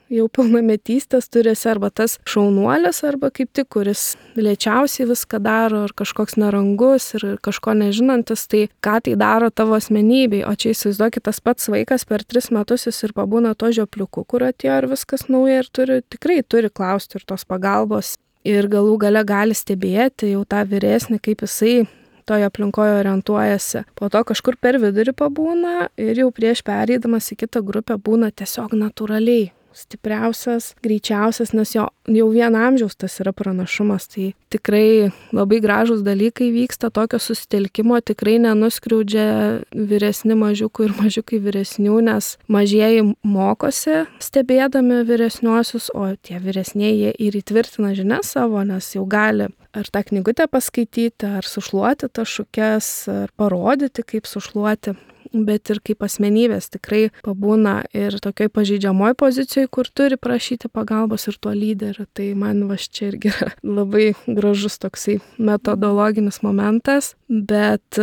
jau pilnametystės turėsi arba tas šaunuolis, arba kaip tik, kuris lėčiausiai viską daro, ar kažkoks nerangus ir kažko nežinantis, tai ką tai daro tavo asmenybei. O čia įsivaizduokit, tas pats vaikas per 3 metus jis ir pabūna to žiopliuku, kur atėjo ir viskas nauja ir tikrai turi klausti ir tos pagalbos. Ir galų gale gali stebėti jau tą vyresnį, kaip jisai toje aplinkoje orientuojasi. Po to kažkur per vidurį pabūna ir jau prieš pereidamas į kitą grupę būna tiesiog natūraliai. stipriausias, greičiausias, nes jau vien amžiaus tas yra pranašumas. Tai tikrai labai gražūs dalykai vyksta, tokio susitelkimo tikrai nenuskriaudžia vyresni mažiukai ir mažiukai vyresnių, nes mažieji mokosi stebėdami vyresniuosius, o tie vyresnieji jie ir įtvirtina žinias savo, nes jau gali ar tą knygutę paskaityti, ar sušluoti tas šukes, ar parodyti, kaip sušluoti. Bet ir kaip asmenybės tikrai pabūna ir tokioj pažeidžiamoj pozicijoje, kur turi prašyti pagalbos ir tuo lyderiu. Tai man čia irgi yra labai gražus toksai metodologinis momentas, bet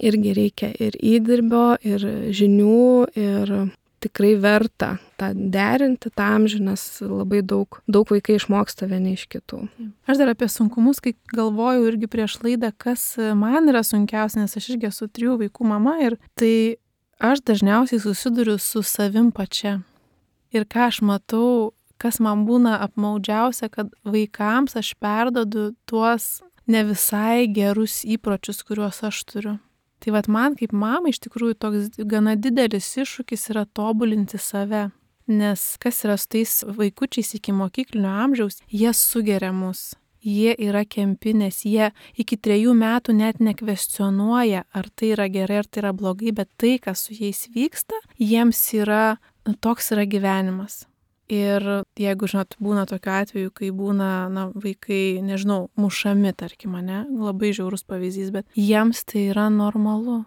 irgi reikia ir įdirbio, ir žinių, ir tikrai verta tą derinti, tą amžių, nes labai daug vaikai išmoksta vieni iš kitų. Aš dar apie sunkumus, kai galvojau irgi prieš laidą, kas man yra sunkiausia, nes aš irgi esu 3 vaikų mama ir tai aš dažniausiai susiduriu su savim pačia. Ir ką aš matau, kas man būna apmaudžiausia, kad vaikams aš perdodu tuos ne visai gerus įpročius, kuriuos aš turiu. Tai vat man kaip mamai iš tikrųjų toks gana didelis iššūkis yra tobulinti save. Nes kas yra su tais vaikučiais iki mokyklinio amžiaus, jie sugeria mus. Jie yra kempinės, jie iki 3 metų net nekvestionuoja, ar tai yra gerai, ar tai yra blogai, bet tai, kas su jais vyksta, jiems yra, toks yra gyvenimas. Ir jeigu, žinot, būna tokiu atveju, kai būna, vaikai, nežinau, mušami, tarkim, labai žiaurus pavyzdys, bet jiems tai yra normalu.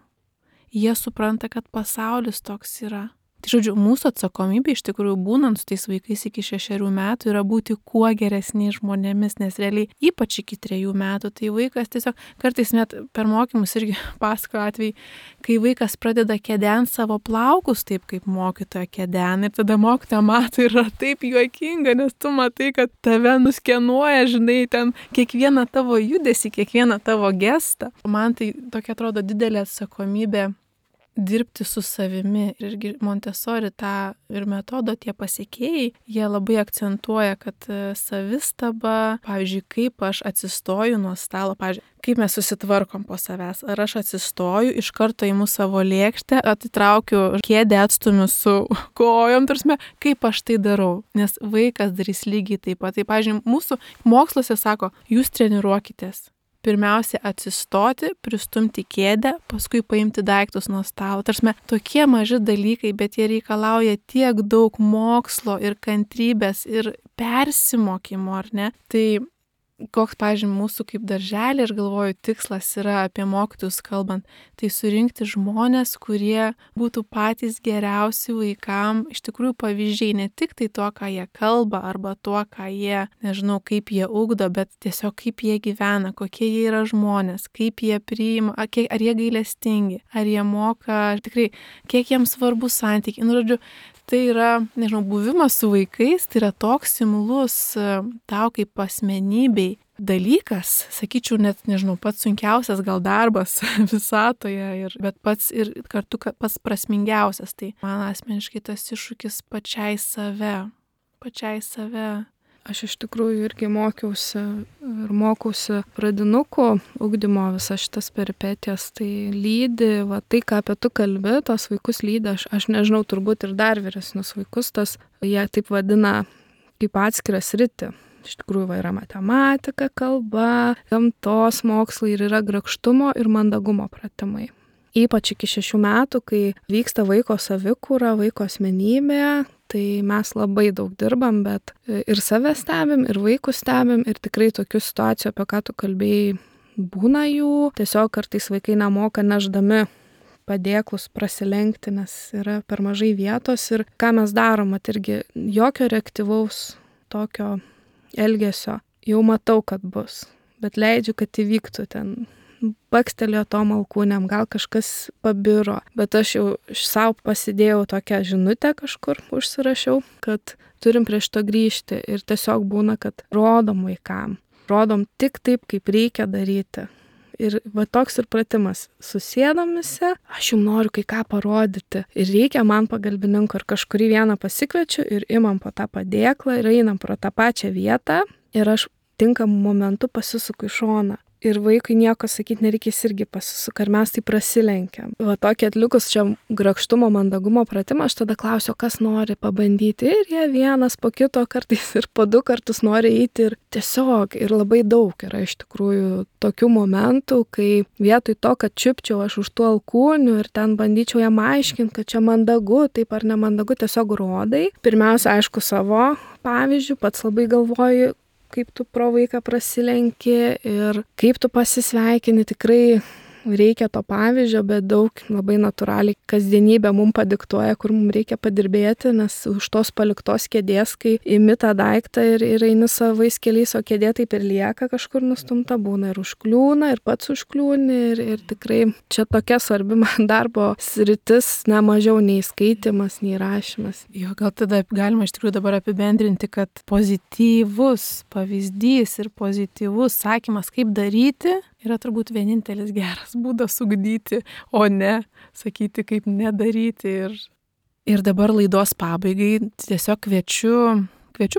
Jie supranta, kad pasaulis toks yra. Tai žodžiu, mūsų atsakomybė iš tikrųjų būnant su tais vaikais iki 6 metų yra būti kuo geresniais žmonėmis, nes realiai ypač iki 3 metų, tai vaikas tiesiog, kartais net per mokymus irgi pasakoju atvejai, kai vaikas pradeda kedent savo plaukus taip, kaip mokytoja kedena, ir tada mokytoja mato ir yra taip juokinga, nes tu matai, kad tave nuskenuoja, žinai, ten kiekvieną tavo judesį, kiekvieną tavo gestą. Man tai tokia atrodo didelė atsakomybė dirbti su savimi. Ir Montessori tą ir metodo tie pasekėjai, jie labai akcentuoja, kad savistaba, pavyzdžiui, kaip aš atsistoju nuo stalo, pavyzdžiui, kaip mes susitvarkom po savęs. Ar aš atsistoju, iš karto įimu savo lėkštę, atitraukiu kėdę, atstumiu su kojom, tarsi, kaip aš tai darau. Nes vaikas darys lygiai taip pat. Tai, pavyzdžiui, mūsų moksluose sako, jūs treniruokitės. Pirmiausia atsistoti, pristumti kėdę, paskui paimti daiktus nuo stalo. Tarsi tokie maži dalykai, bet jie reikalauja tiek daug mokslo ir kantrybės ir persimokymo, ar ne? Tai koks, pavyzdžiui, mūsų kaip darželį, aš galvoju, tikslas yra apie mokytojus kalbant, tai surinkti žmonės, kurie būtų patys geriausi vaikam, iš tikrųjų pavyzdžiai, ne tik tai to, ką jie kalba, arba to, ką jie, nežinau, kaip jie ugdo, bet tiesiog kaip jie gyvena, kokie jie yra žmonės, kaip jie priima, ar jie gailestingi, ar jie moka, tikrai, kiek jiems svarbu santykiai. Žodžiu, tai yra, nežinau, buvimas su vaikais, tai yra toks imlus tau kaip asmenybei dalykas, sakyčiau, net, nežinau, pats sunkiausias gal darbas visatoje, bet pats ir kartu pats prasmingiausias. Tai man asmeniškai tas iššūkis pačiai save. Aš iš tikrųjų irgi mokiausi ir mokausi pradinukų ugdymo visas šitas peripetijas, tai lydi, tai ką apie tu kalbi, tos vaikus lydi, aš nežinau, turbūt ir dar vyresnius vaikus, jie taip vadina kaip atskirą sritį. Iš tikrųjų yra matematika, kalba, gamtos mokslai ir yra grakštumo ir mandagumo pratimai. Ypač iki 6 metų, kai vyksta vaiko savikūra, vaiko asmenybė, tai mes labai daug dirbam, bet ir save stebim, ir vaikus stebim, ir tikrai tokių situacijų, apie ką tu kalbėjai, būna jų. Tiesiog kartais vaikai nemoka nešdami padėklus prasilenkti, nes yra per mažai vietos. Ir ką mes darom, irgi jokio reaktyvaus tokio elgesio. Jau matau, kad bus, bet leidžiu, kad įvyktų ten. Bakstelėjo tom alkūnėm, gal kažkas pabiro, bet aš jau savo pasidėjau tokią žinutę kažkur, užsirašiau, kad turim prie šito grįžti ir tiesiog būna, kad rodom vaikam, rodom tik taip, kaip reikia daryti. Ir toks ir pratimas, susėdamisi, aš jums noriu kai ką parodyti ir reikia man pagalbininko, ir kažkurį vieną pasikviečiu ir imam po tą padėklą ir einam pro tą pačią vietą ir aš tinkamų momentų pasisuku į šoną. ir vaikui nieko sakyti nereikės, irgi pasisuka, ir mes tai prasilenkiam. Va tokį atlikus čia grakštumo, mandagumo pratimą, aš tada klausiu, kas nori pabandyti, ir jie vienas po kito, kartais ir po 2 kartus nori eiti, ir tiesiog, ir labai daug yra iš tikrųjų tokių momentų, kai vietoj to, kad čiupčiau aš už tų alkūnių ir ten bandyčiau jam aiškinti, kad čia mandagu, taip ar nemandagu, tiesiog rodai. Pirmiausia, aišku, savo pavyzdžių, pats labai galvoju, kaip tu pro vaiką prasilenki ir kaip tu pasisveikini, tikrai reikia to pavyzdžio, bet daug labai natūraliai kasdienybė mums padiktuoja, kur mums reikia padirbėti, nes už tos paliktos kėdės, kai imi tą daiktą ir eini savais keliais, o kėdė taip ir lieka kažkur nustumta, būna ir užkliūna, ir pats užkliūni, ir tikrai čia tokia svarbi man darbo sritis, ne mažiau nei skaitimas, nei rašymas. Jo, gal tada galima iš tikrųjų dabar apibendrinti, kad pozityvus pavyzdys ir pozityvus sakymas, kaip daryti, yra turbūt vienintelis geras būdas ugdyti, o ne sakyti, kaip nedaryti. Ir dabar laidos pabaigai tiesiog kviečiu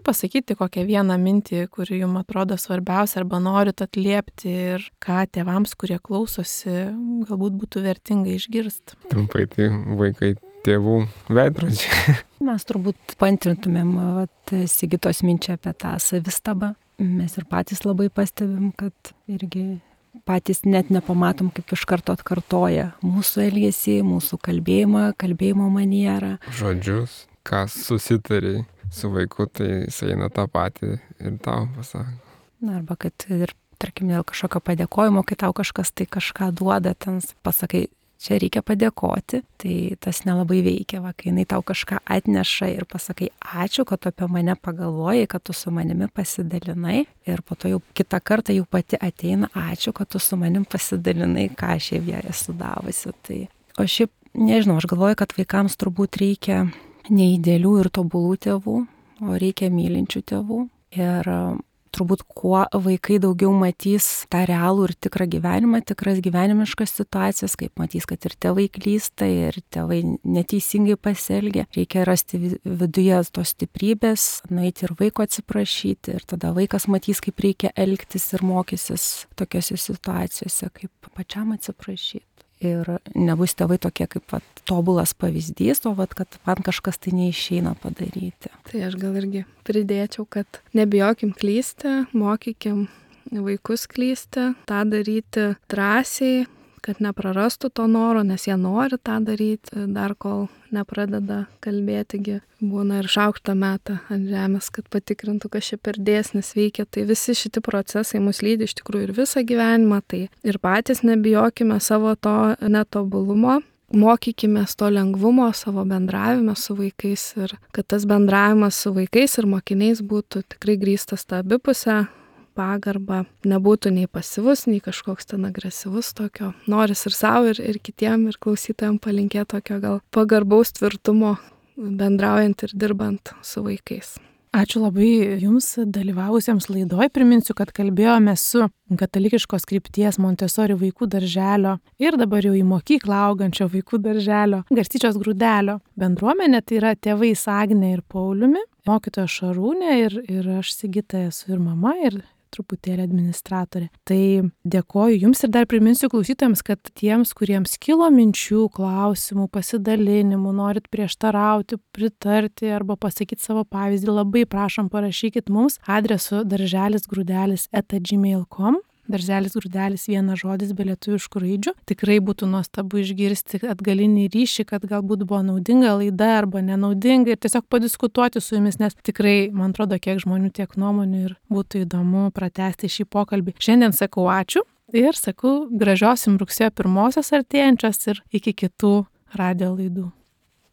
pasakyti kokią vieną mintį, kuri jums atrodo svarbiausia, arba norit atliepti, ir ką tėvams, kurie klausosi, galbūt būtų vertinga išgirsti. Trumpai, tai vaikai tėvų veidrodžiai. Mes turbūt paantrintumėm Sigitos minčią apie tą savistabą. Mes ir patys labai pastebim, kad irgi patys net nepamatom, kaip iš karto atkartoja mūsų elgesį, mūsų kalbėjimo manierą. Žodžius, ką susitariai su vaiku, tai jis eina tą patį ir tau pasako. Na, arba kad ir, tarkim, dėl kažkokio padėkojimo, kai tau kažkas tai kažką duoda, ten pasakai, čia reikia padėkoti, tai tas nelabai veikia, va, kai jinai tau kažką atneša ir pasakai, ačiū, kad tu apie mane pagalvojai, kad tu su manimi pasidalinai, ir po to jau kitą kartą jau pati ateina, ačiū, kad tu su manim pasidalinai, ką aš jai esu davusi. Tai, o šiaip, nežinau, aš galvoju, kad vaikams turbūt reikia neidealių ir tobulų tėvų, o reikia mylinčių tėvų. Ir turbūt kuo vaikai daugiau matys tą realų ir tikrą gyvenimą, tikras gyvenimiškas situacijas, kaip matys, kad ir tėvai klysta, ir tėvai neteisingai pasielgia, reikia rasti viduje tos stiprybės, nueiti ir vaiko atsiprašyti, ir tada vaikas matys, kaip reikia elgtis ir mokysis tokiose situacijose, kaip pačiam atsiprašyti. Ir nebus tėvai tokie kaip tobulas pavyzdys, o kad man kažkas tai neišeina padaryti. Tai aš gal irgi pridėčiau, kad nebijokim klysti, mokykim vaikus klysti, tą daryti drąsiai, kad neprarastų to noro, nes jie nori tą daryti, dar kol nepradeda kalbėtigi. Būna ir šaukštą metą ant žemės, kad patikrintų, kas čia per dėsnis veikia. Tai visi šitie procesai mus lydi iš tikrųjų ir visą gyvenimą. Tai ir patys nebijokime savo to netobulumo, mokykime to lengvumo savo bendravime su vaikais, ir kad tas bendravimas su vaikais ir mokiniais būtų tikrai grįstas tą abipusę pagarbą, nebūtų nei pasyvus, nei kažkoks ten agresyvus tokio. Noris ir savo, ir kitiem, ir klausytojams palinkėti tokio gal pagarbaus tvirtumo bendraujant ir dirbant su vaikais. Ačiū labai Jums dalyvavusiems laidoj. Priminsiu, kad kalbėjome su katalikiškos krypties Montessori vaikų darželio ir dabar jau į mokyklą augančio vaikų darželio Garstyčios Grūdelio bendruomenė. Tai yra tėvais Agnė ir Pauliumi, mokytoja Šarūnė ir aš Sigita esu ir mama, ir truputėlį administratorė. Tai dėkoju Jums ir dar priminsiu klausytojams, kad tiems, kuriems kilo minčių, klausimų, pasidalinimų, norit prieštarauti, pritarti arba pasakyti savo pavyzdį, labai prašom parašykit mums adresu darželisgrūdelis@gmail.com. Darželis Grūdelis vienas žodis be lietuviškų raidžių. Tikrai būtų nuostabu išgirsti atgalinį ryšį, kad galbūt buvo naudinga laida arba nenaudinga, ir tiesiog padiskutuoti su Jumis, nes tikrai, man atrodo, kiek žmonių, tiek nuomonių, ir būtų įdomu pratęsti šį pokalbį. Šiandien sakau ačiū ir sakau gražios Jums rugsėjo 1 artėjančios ir iki kitų radijo laidų.